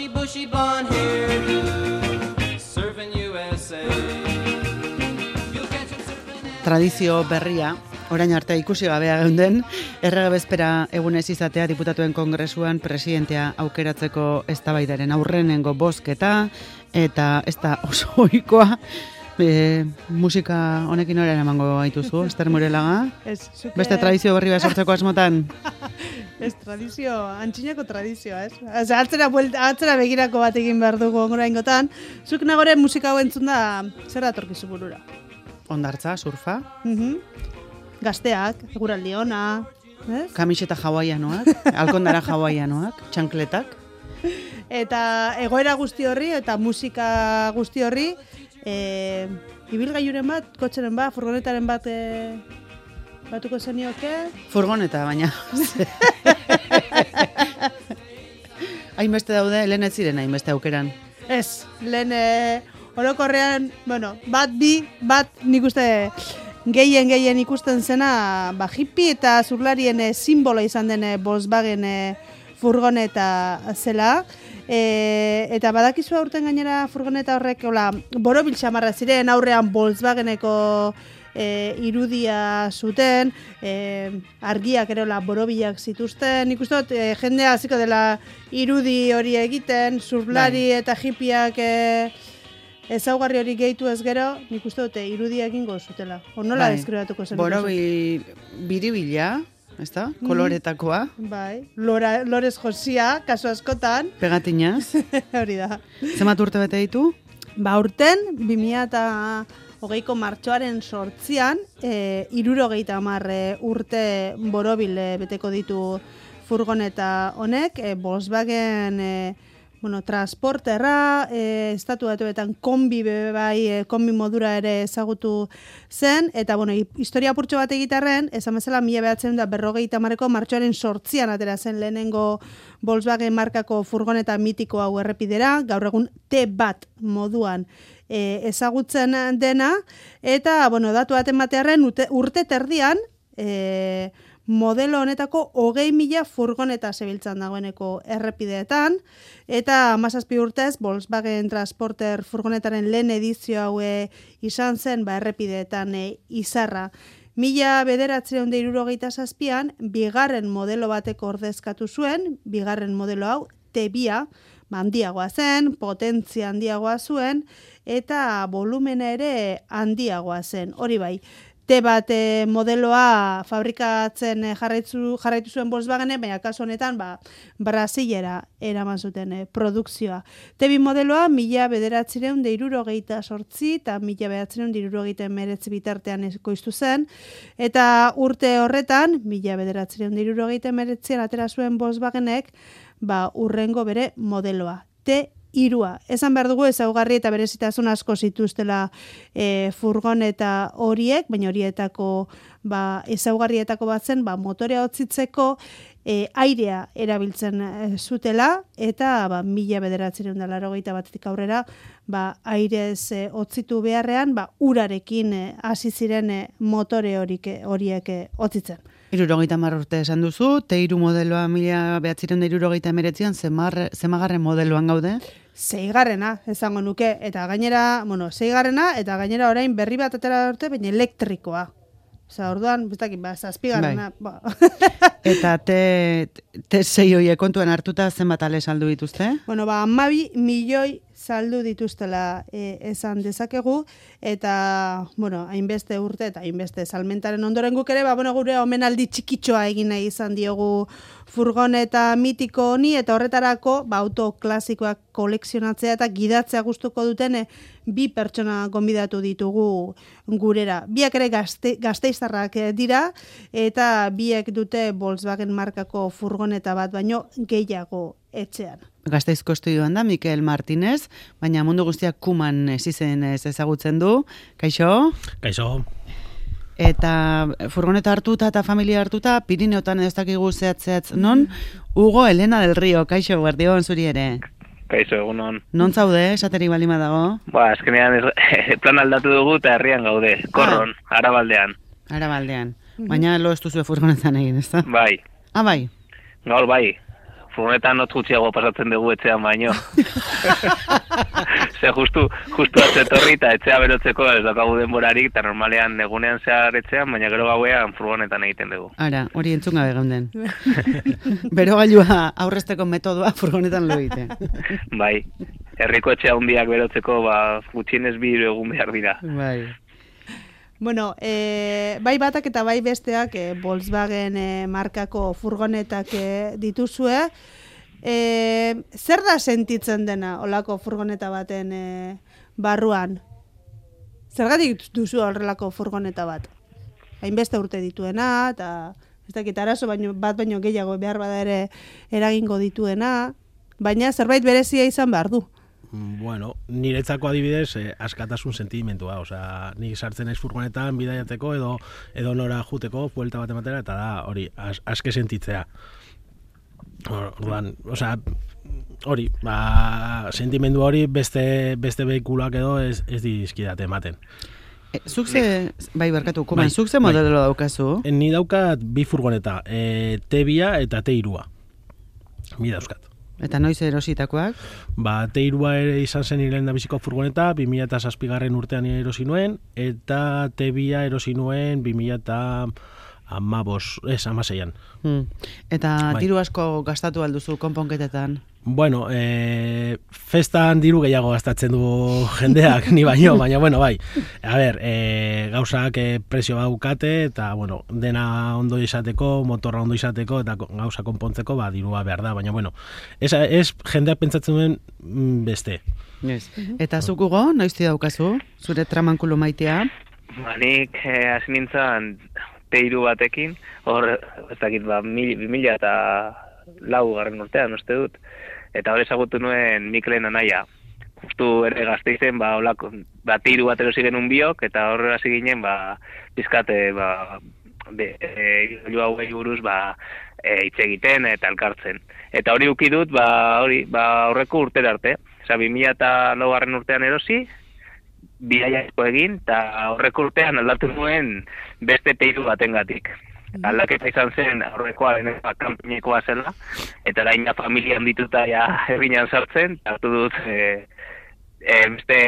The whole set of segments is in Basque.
bushy blonde hairdo, surfing USA. Tradizio berria, orain arte ikusi gabea geunden, errege bezpera egunez izatea diputatuen kongresuan presidentea aukeratzeko eztabaidaren aurrenengo bozketa, eta ez da oso ohikoa. Musika honekin horren emango gaituzu, Ester Morelaga? Beste tradizio berri bat sortzeko asmotan? Ez tradizio, antxinako tradizioa, ez? Atzera begirako bat egin behar dugu oraingotan. Zuk nagore musika hau entzun da, zer datorkizu burura? Hondartza, surfa? Gazteak, eguraldi ona, ez? Kamiseta hawaianoak, alkondara hawaianoak, txankletak. Eta egoera guzti horri, eta musika guzti horri, ibilgailuren bat, kotxeren bat, furgonetaren bat batuko zenioke? Furgoneta, baina. Hainbeste daude, lehen ez ziren hainbeste aukeran. Ez, lehen orokorrean, bueno, bat nik uste gehien ikusten zena, hippie eta zurlarien simbolo izan den Volkswagen furgoneta zela. Eta badakizu aurten gainera furgoneta horrek borobil xamarra ziren, aurrean Volkswageneko irudia zuten, argiak erola borobilak zituzten. Nik uste dut jendea hasiko dela irudi hori egiten, zurlari eta hippieak ezaugarri hori gehitu ez gero, nik uste dut irudia egingo zutela. Nola deskribatuko zen? Borobil biribila, ezta? Koloretakoa. Bai, lorez josia, kasu askotan. Pegatinaz. Hori da. Zemat urte bete ditu? Urten, 2020ko martxoaren 8an, 70 urte borobil beteko ditu furgoneta honek, Volkswagen transporterra, estatu batuetan kombi kombi modura ere ezagutu zen, eta historia purtxo bat egitarren, esan bezala 1950ko martxoaren 8an atera zen lehenengo Volkswagen markako furgoneta mitiko hau errepidera, gaur egun T-Bat moduan ezagutzen dena, eta datu baten batearen urte terdian, modelo honetako 20.000 furgoneta zebiltzan dagoeneko errepideetan, eta 17 urtez Volkswagen Transporter furgonetaren lehen edizio hau izan zen errepideetan izarra. 1967an, bigarren modelo batek ordezkatu zuen, bigarren modelo hau, T-Bia, handiagoa zen, potentzia handiagoa zuen, eta volumena ere handiagoa zen, hori bai. T-Bat modeloa fabrikatzen jarraitu zuen Volkswagen, baina kasu honetan Brasilera eraman zuten produkzioa. T-Bi modeloa 1978 eta 1979 bitartean ekoiztu zen, eta urte horretan, 1979an atera zuen Volkswagenek, urrengo bere modeloa, T-Irua. Esan behar dugu ezaugarri eta berezitasun asko zituztela furgoneta horiek, baina horietako ezaugarrietako bat zen motorea hotzitzeko airea erabiltzen zutela, eta 1981tik aurrera airez hotzitu beharrean urarekin hasi ziren motore horiek hotzitzen. 70 urte esan duzu, T-Iru modeloa 1979an zemagarren modeloan gaude? 6. Esango nuke, eta gainera, 6. eta gainera orain berri bat atera urte, baina elektrikoa. Orduan, biztakin, 7. Eta T6 horiek kontuan hartuta zenbat ale saldu dituzte? 12 milioi saldu dituztela esan dezakegu, eta, hainbeste urte eta hainbeste salmentaren ondoren guk ere, gure omenaldi txikitxoa egin nahi izan diogu furgoneta mitiko honi, eta horretarako, auto klasikoak kolekzionatzea eta gidatzea gustuko duten 2 pertsona gonbidatu ditugu gurera. Biak ere gasteiztarrak dira, eta biek dute Volkswagen markako furgoneta bat, baino gehiago etxean. Gasteizko estudioan da, Mikel Martínez, baina mundu guztiak Kuman izenez ezagutzen du. Kaixo? Kaixo. Eta furgoneta hartuta eta familia hartuta, Pirineotan ez dakigu zehatz non, Hugo Elena del Río, kaixo, guardion zuri ere. Kaixo, egunon. Non zaude, esateri balima dago? Azkenean plan aldatu dugu eta herrian gaude, Korron, Arabaldean. Arabaldean. Baina lo ez duzue furgonetan egin, ez da? Bai. Bai? Gaur bai. furgonetan not gutxiago pasatzen dugu etxean baino. Ze justu atzetorri eta etxea berotzeko ez daukagu denborarik, eta normalean egunean zehar etxean, baina gero gauean furgonetan egiten dugu. Ara, hori entzun gabe geunden. Berogailua aurrezteko metodoa furgonetan lo egite. Bai, herriko etxea hundiak berotzeko, gutxienez 2 egun behar dira. Bai. Bueno, bai batak eta bai besteak Volkswagen markako furgonetak dituzue. Zer da sentitzen dena olako furgoneta baten barruan? Zergatik duzu horrelako furgoneta bat? Hainbeste urte dituena, eta ez dakit arazo baino gehiago behar bada ere eragingo dituena, baina zerbait berezia izan behar du. Bueno, niretzako adibidez, askatasun sentimentua, osea, nik sartzen naiz furgonetan bidaiateko edo nora juteko, buelta bat ematera, eta da, hori, aske sentitzea. Orduan, osea, hori, sentimendu hori beste behikuloak edo ez dizkidate ematen. Zuk ze, bai barkatu, kuman, zuk ze modelo daukazu? Ni daukat 2 furgoneta, T2 eta T3. Bi dauzkat. Eta noiz erositakoak? T3 ere izan zen hilen da biziko furgoneta, 2007 urtean erosi nuen, eta T2 erosi nuen 2016an. Eta diru asko gastatu alduzu konponketetan? Bueno, festan diru gehiago gastatzen du jendeak, ni baino, baina bueno, bai. A ber, gauzak prezio daukate, eta bueno, dena ondo izateko, motorra ondo izateko, eta gauza konpontzeko, dirua behar da, baina bueno, ez jendeak pentsatzen duen beste. Yes. Eta zuk Hugo, noizti daukazu, zure tramankulu maitea? Nik hasi nintzen T3 batekin, hor, ez dakit, 2004 urtean, uste dut, eta hor ezagutu nuen Mikelen anaia. Justu ere Gasteizen, olako, T3 bat erosi genuen biok, eta hor hasi ginen, pizkate, ilu hauei buruz, hitz egiten eta elkartzen. Eta hori uki dut, horreko urtera arte. Osa, 2009 urtean erosi, bidaiasko egin, eta horreko urtean aldatu nuen beste T3 batengatik. Aldaketa izan zen aurrekoa kanpinekoa zela, eta orain familian dituta herrian sartzen, hartu dut beste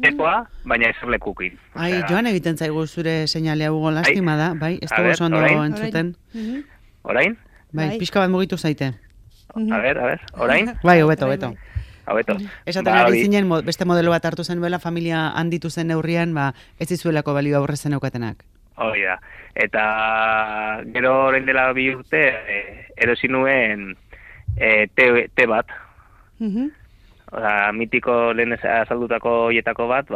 ekoa, baina eserlekukin. Ai, joan egiten zaigu zure seinalea Hugo, lastima da, bai, ez dugu oso ondo entzuten. Orain? Bai, pixka bat mugitu zaite. A ber, orain? Bai, hobeto. Esaten ari zinen, beste modelo bat hartu zenuela, familia handitu zen neurrian, ez dizuelako balio aurrezen eukatenak. Hori da. Eta gero orain dela 2 urte erosi nuen T bat. Mitiko lehen azaldutako hietako bat,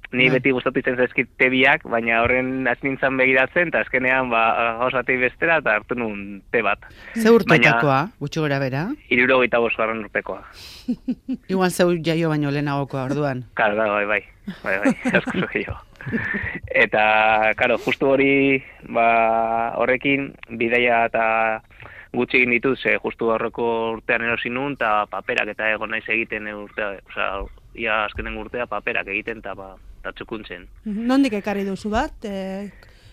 ni beti gustatu izan zaizkit T2ak, baina horren hasi nintzen begiratzen, eta azkenean gauzatei bestera, eta hartu nuen T bat. Ze urtetakoa, gutxi gora bera? 75 urtekoa. Igual zeu jaio baino lehenagokoa orduan. Claro, bai, asko gehiago. Eta, karo, justu hori, horrekin, bidaia eta gutxi egin dituz, justu horreko urtean erosi nun, eta paperak eta egon naiz egiten urtea, ia azkenen urtea paperak egiten eta txukuntzen. Nondik ekarri duzu bat?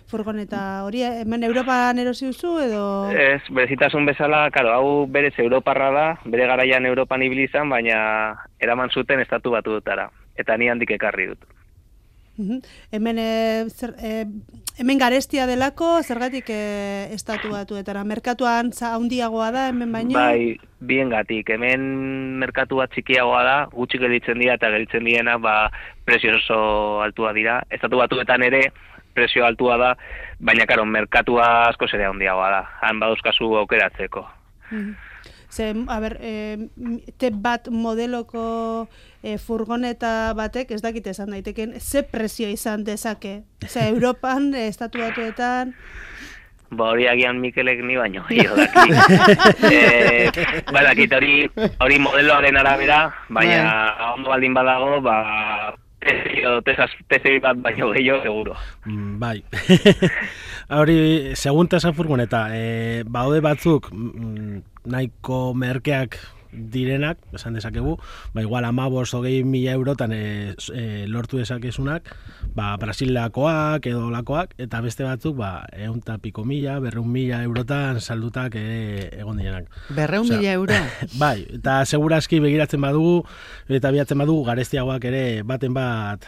Furgoneta hori, hemen Europan erosi duzu edo? Ez, berezitasun bezala, karo, hau berez Europarra da, bere garaian Europan ibili izan, baina eraman zuten estatu batutara, eta ni handik ekarri dut. Hemen garestia delako, zergatik estatu batuetara. Merkatuan handiagoa da, hemen baino? Bai, biengatik. Hemen merkatu bat txikiagoa da, gutxi gelditzen dira eta gelditzen diena, prezio oso altua dira. Estatu batuetan ere, prezio altua da, baina, karo, merkatua asko zere handiagoa da. Han baduzkazu aukeratzeko. A ber, T bat modeloko furgoneta batek, ez dakit esan daiteken, ze prezio izan dezake? Europan, estatu batuetan... Hori agian Mikelek ni baino, daki. Dakit, hori modeloaren arabera, baina ondo baldin badago, T0 bat baino gehiago, seguro. Bai. Hori, segunta esan furgoneta, baude batzuk nahiko merkeak direnak, esan dezakegu, ba, igual 15-20 eurotan lortu dezakezunak, ba, Brasilakoak edo lakoak, eta beste batzuk, ba, 100 piko mila, 200.000 eurotan saldutak egon direnak. 200.000 euro? Bai, eta segurazki begiratzen badugu, eta bilatzen badugu, garestiagoak ere baten bat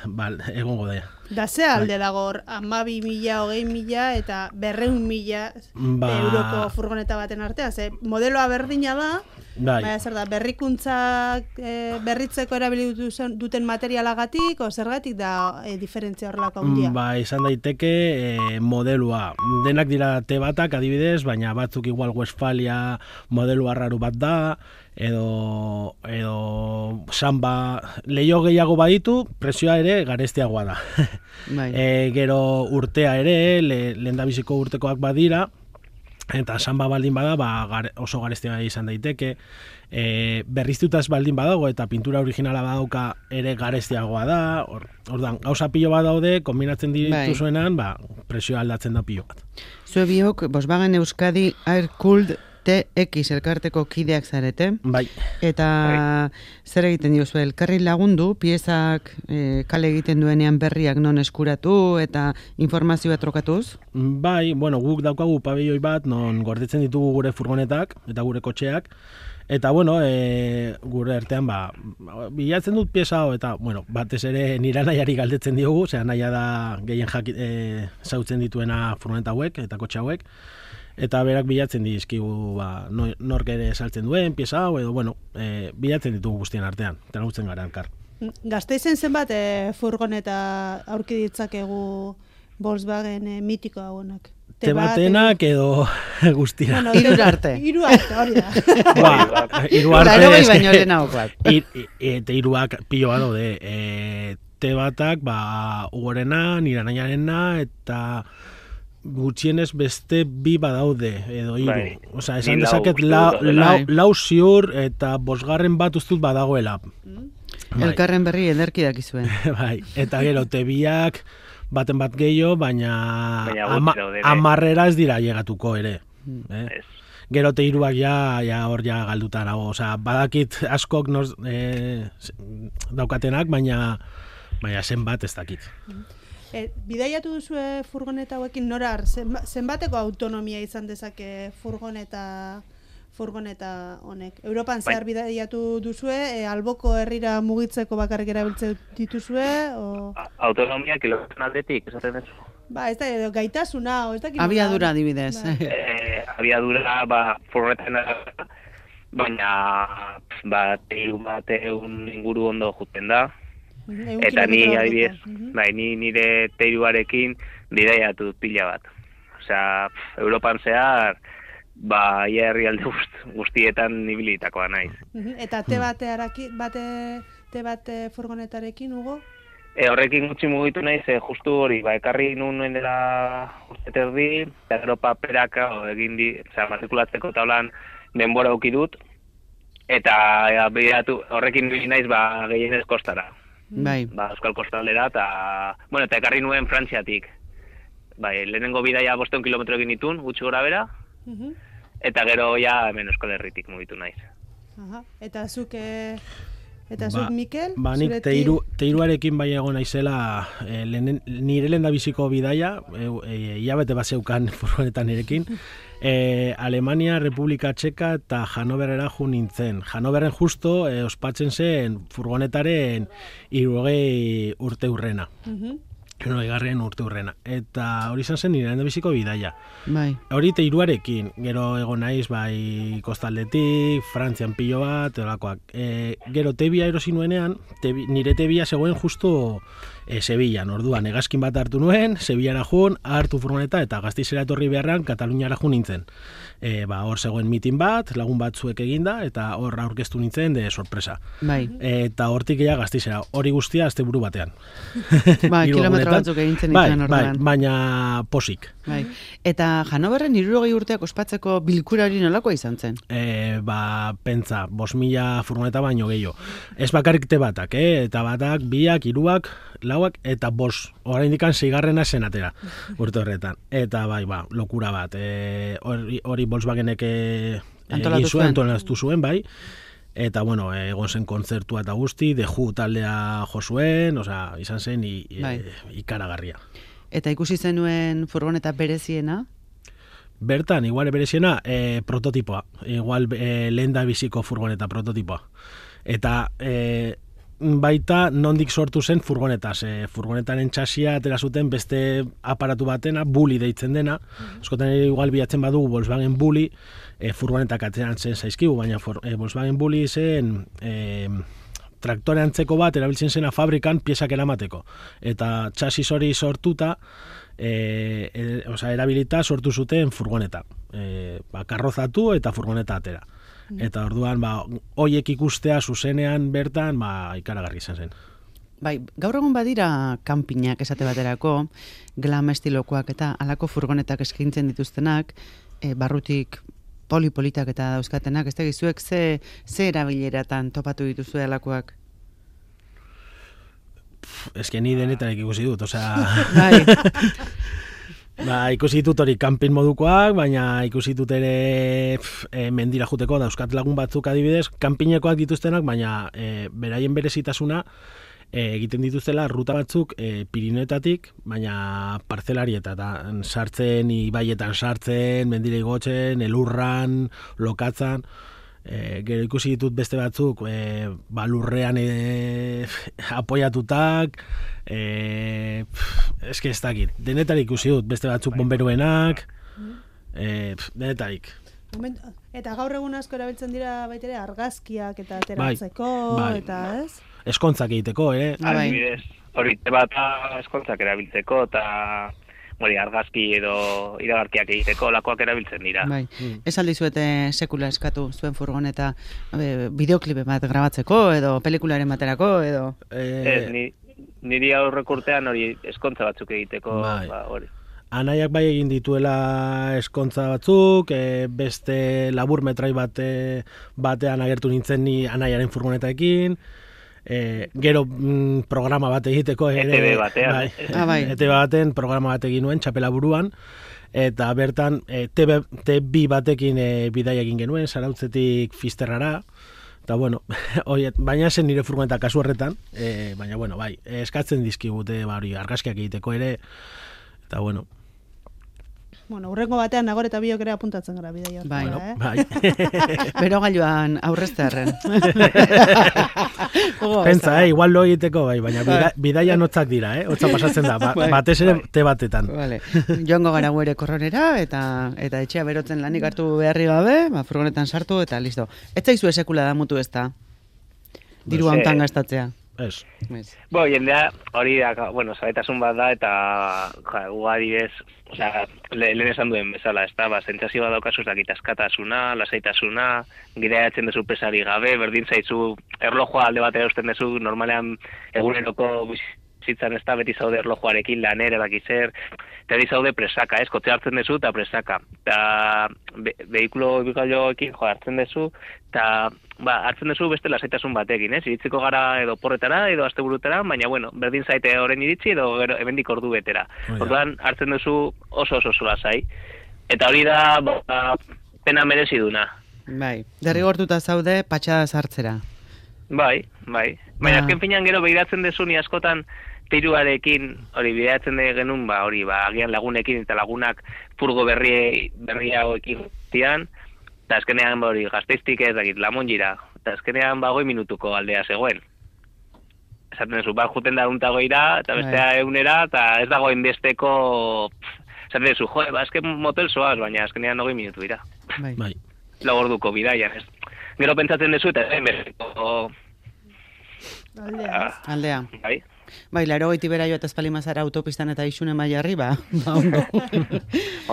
egongo da. Da ze alde dago hor, 12.000, 20.000 eta 200.000 euroko furgoneta baten artean. Ze modeloa berdina da, baina zer da, berrikuntzak berritzeko erabili duten materialagatik, o zergatik da diferentzia horrelako handia? Ba, izan daiteke modelua. Denak dira T-batak adibidez, baina batzuk igual Westfalia modelu arraru bat da, edo samba leio gehiago baditu, presioa ere garestiagoa da. Bai. Gero urtea ere, lehendabiziko urtekoak badira, eta samba baldin bada, ba, oso garestia izan daiteke. Berriztutaz baldin badago eta pintura originala badauka ere garestiagoa da. Ordan gauza pilo bat daude, kombinatzen dituzuenan, ba, presioa aldatzen da pilo bat. Zue biok, Volkswagen Euskadi Air-Cooled TX elkarteko kideak zarete. Bai. Eta zer egiten diozu, elkarri lagundu, piezak kale egiten duenean berriak non eskuratu eta informazioa trokatuz? Bai, bueno, guk daukagu pabelloi bat non gordetzen ditugu gure furgonetak eta gure kotxeak. Eta, bueno, gure artean, ba, bilatzen dut pieza hau, eta, bueno, batez ere nire nahiari galdetzen diogu, zera naia da gehien zautzen dituena furgoneta hauek eta kotxe hauek. Eta berak bilatzen dizkigu, ba, nork ere saltzen duen, pieza hau, edo, bueno, bilatzen ditugu guztien artean, eta nagutzen gara elkar. Gasteizen zenbat furgoneta aurki ditzakegu Volkswagen mitiko hauenak? Tebatenak edo guztira. Bueno, Hiru arte. Hiru arte, hori da. Hiru arte. Baino lehenago bat. Eta hiruak pilo bat daude. Tebatak, ba, ugorena, nire nahiarena, eta gutxienez beste bi badaude, edo hiru. Bai. Osea, esan dezaket lau ziur eta 5. bat ustut badagoela. Elkarren berri ederki dakizuen. Bai, eta gero tebiak baten bat gehiago, baina gutxi daude, 10 ez dira llegatuko ere. Ez. Gero teiruak ja hor ja galduta nago. Osea, badakit askok daukatenak, baina zenbat ez dakit. Bidaiatu duzue furgoneta hauekin norar, zenbateko autonomia izan dezake furgoneta honek? Europan zehar bidaiatu duzue, alboko herrira mugitzeko bakarrik erabiltzen dituzue? Autonomia kilometro aldetik, esaten duzu. Ba, ez da, gaitasuna, ez da... Abiadura adibidez. Abiadura, ba, furgonetan baina, ba, teiru bateun inguru ondo juten da. Eta ni adibidez, bai, ni nire teiruarekin bidaiatu pila bat. Osea, Europan zehar, ba, ia herrialde guztietan ibilitakoa naiz. Eta T-bat furgonetarekin, Hugo? Horrekin gutxi mugitu naiz, justu hori, ba, ekarri nuen dela urte terdi, eta gero paperaka egin matrikulatzeko taulan denbora auki dut, eta bidaiatu horrekin bili naiz, ba, gehienez kostara. Bai. Ba, Euskal Kostaldera, eta ekarri nuen Frantziatik. Bai, lehenengo bidaia 500 kilometro egin ditun, gutxi gora bera, eta gero ja hemen Euskal Herritik mugitu naiz. Eta zuk, Mikel? Ba, nik teiruarekin bai egon naizela, nire lehendabiziko bidaia, hilabete bat zeukan furgonetan nirekin, Alemania, Republika Txeka eta Hanoverera jo nintzen. Hanoverren justo ospatzen zen furgonetaren 60 urte urrena. 60. urte urrena. Eta hori izan zen nire lehendabiziko bidaia. Bai. Hori teiruarekin, gero egon naiz bai kostaldetik, Frantzian pilo bat, edolakoak. Gero tebia erosi nuenean, nire tebia zegoen justo Sevillan, orduan, hegazkin bat hartu nuen, Sevillara jun, hartu furgoneta, eta Gasteizera etorri beharran, Kataluniara jun nintzen. Hor zegoen mitin bat, lagun batzuek eginda, eta hor aurkeztu nintzen, de sorpresa. Bai. Eta hortik ea Gasteizera, hori guztia asteburu batean. Bai, kilometro batzuk egintzen nintzen orduan. Bai, baina posik. Bai. Eta Hanoverren 60 urteak ospatzeko bilkura hori nolakoa izan zen? Pentsa, 5.000 furgoneta baino gehiago. Ez bakarrik T-batak, eta batak, 2, 3, 4 eta 5. Oraindik 6. zenatera urte horretan. Eta bai, lokura bat. Hori Volkswagenek antolatu zuen, bai. eta bueno, egon zen kontzertua eta guzti, The Who taldea jo zuen, osea, izan zen ikaragarria. Eta ikusi zenuen furgoneta bereziena? Bertan, igual bereziena, prototipoa. Igual lehen da biziko furgoneta prototipoa. Eta baita nondik sortu zen furgonetaz. Furgonetaren txasia atera zuten beste aparatu batena, Bully deitzen dena. Eskotan igual bilatzen badugu Volkswagen Bully, furgonetak ateran zen zaizkigu, baina Volkswagen Bully zen traktore antzeko bat erabiltzen zena fabrikan piezak eramateko. Eta txasis hori sortuta, erabilita sortu zuten furgoneta. Karrozatu eta furgoneta atera. Eta orduan, hoiek ikustea zuzenean bertan, ikaragarri izan zen. Bai, gaur egun badira kanpinak esate baterako, glam estilokoak eta alako furgonetak eskaintzen dituztenak, barrutik polipolitak eta dauzkatenak, ez tegizuek ze erabileratan topatu dituzue alakoak? Ez que ni denetarek ikusi dut, osea... Bai. Ikusi ditut hori kanpin modukoak, baina ikusi dut ere mendira juteko, dauzkat lagun batzuk adibidez, kanpinekoak dituztenak, baina beraien berezitasuna egiten dituztela ruta batzuk Pirinioetatik, baina parzelarietatan sartzen, ibaietan sartzen, mendira igotzen, elurran, lokatzan. Gero ikusi ditut beste batzuk lurrean apoiatutak, eske ez dakit, denetarik ikusi dut, beste batzuk bomberuenak, denetarik. Eta gaur egun asko erabiltzen dira baitere argazkiak eta ateratzeko, eta ez? Eskontzak egiteko, Adibidez, hori bata eskontzak erabiltzeko, eta argazki edo iragarkiak egiteko lakoak erabiltzen dira. Bai. Ez aldizuete sekula eskatu zuen furgoneta bideoklipe bat grabatzeko edo pelikularen baterako edo... Niri aurreko urtean hori eskontza batzuk egiteko hori. Anaiak bai egin dituela eskontza batzuk, beste labur metrai batean agertu nintzen ni anaiaren furgonetaekin, gero programa bat egiteko ETV batean. ETV baten programa bat egin nuen, txapela buruan, eta bertan TV batekin bidaia egin genuen, Zarautzetik Fisterrara, eta bueno, baina zen nire furgoneta kasu horretan, baina bueno, eskatzen dizkigute argazkiak egiteko ere, eta bueno. Bueno, urrengo batean Nagor eta biok ere apuntatzen gara bidaia horretara, Bai. Bero gailuan aurreztearren. Pentsa, igual lo egiteko, baina bidaia notzak dira, hotza pasatzen da, batez ere te batetan. Vale. Joango gara guere korronera, eta etxea berotzen lanik hartu beharri gabe, furgonetan sartu, eta listo. Ez zaizu esekula da mutu ez da? Diru hantan gastatzea. Ez. Jendea hori da, zabetasun bat da, eta ugadidez, lehen esan duen bezala, ez da, zentzazio bat daukazu dakit askatasuna, lasaitasuna, gireatzen dezu pesari gabe, berdin zaizu, erlojoa alde batera usten dezu, normalean eguneroko bizitzan ez da, beti zaude erlojoarekin lanera dakizer, eta di zaude presaka, kotxe hartzen dezu eta presaka. Eta behikulo bigailoekin hartzen dezu, eta hartzen dezu beste lasaitasun batekin, iritziko gara edo porretara, edo asteburutara, baina berdin zaite horren iritsi edo hemendik ordu betera. Orduan hartzen duzu oso lasai. Eta hori da pena merezi duna. Bai, derrigortuta zaude patxada sartzera. Bai. Baina azken finean gero begiratzen dezu ni askotan tiruarekin, hori bideatzen genuen, agian lagunekin eta lagunak furgo berriagoekin zian, eta azkenean hori Gasteiztik ez dakit, Lamonjira, eta azkenean 20 minutuko aldea zegoen. Esaten duzu, juten da untagoira, eta bestea egunera, eta ez dagoen besteko, esaten duzu, azken motel zoaz, baina azkenean 20 minutu dira. Bai. Lagorduko bidaian, ez. Gero pentsatzen duzu, eta berriko... Aldea. Bai, 80 bera joa eta espalimazara autopistan eta isune maila arriba, ondo.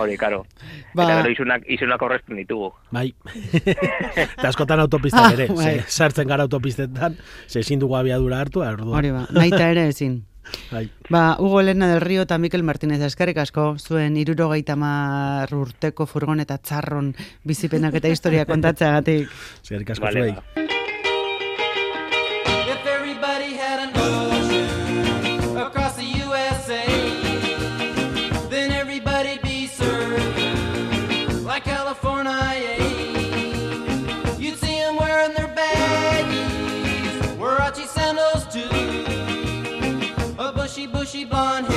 Hori, karo. Eta gero isunak horrezten ditugu. Bai. Eta askotan autopistak ere, sartzen gara autopistetan, ezin dugu abiadura hartu, hori naita ere ezin. Hugo Elena del Río eta Mikel Martínez eskerrik asko, zuen 70 urteko furgoneta txarron bizipenak eta historia kontatzeagatik. Eskerrik asko zuei. You'd see them wearing their badge. bushy blonde hair.